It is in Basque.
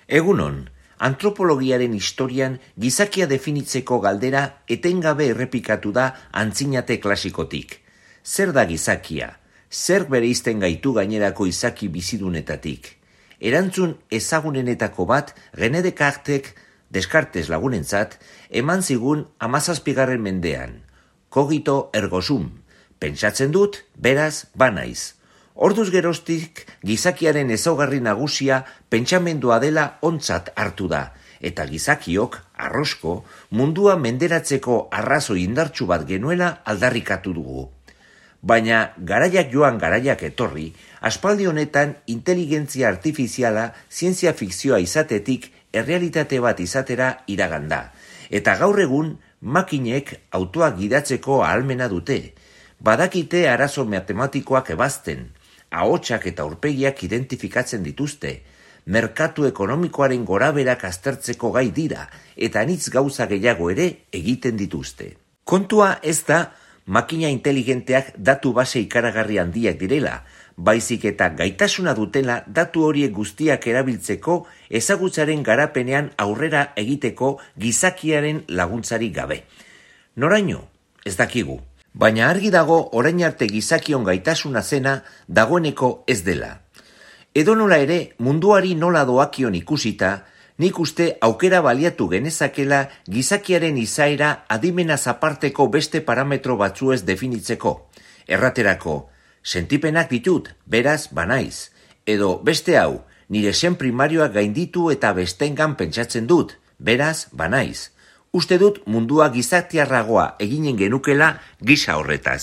Egunon, antropologiaren historian gizakia definitzeko galdera etengabe errepikatu da antzinate klasikotik. Zer da gizakia? Zer bereizten gaitu gainerako izaki bizidunetatik? Erantzun ezagunenetako bat René Descartes lagunentzat eman zigun 17. mendean. Cogito ergo sum. Pentsatzen dut, beraz, banaiz. Orduz geroztik gizakiaren ezaugarri nagusia pentsamendua dela ontzat hartu da, eta gizakiok, arrosko, mundua menderatzeko arrazoi indartsu bat genuela aldarrikatu dugu. Baina garaiak joan garaiak etorri, aspaldi honetan inteligentzia artifiziala zientzia fikzioa izatetik errealitate bat izatera iraganda, eta gaur egun makinek autoak gidatzeko ahalmena dute, badakite arazo matematikoak ebazten, ahotsak eta aurpegiak identifikatzen dituzte, merkatu ekonomikoaren goraberak aztertzeko gai dira, eta anitz gauza gehiago ere egiten dituzte. Kontua ez da makina inteligenteak datu base ikaragarri handiak direla, baizik eta gaitasuna dutela datu horiek guztiak erabiltzeko ezagutzaren garapenean aurrera egiteko gizakiaren laguntzarik gabe. Noraino? Ez dakigu. Baina argi dago orain arte gizakion gaitasuna zena dagoeneko ez dela. Edonola ere, munduari nola doakion ikusita, nik uste aukera baliatu genezakela gizakiaren izaera adimenaz aparteko beste parametro batzuez definitzeko. Erraterako, sentipenak ditut, beraz banaiz. Edo beste hau, nire sen primarioak gainditu eta bestengan pentsatzen dut, beraz banaiz. Uste dut mundua gizatiarragoa eginen genukela gisa horretaz.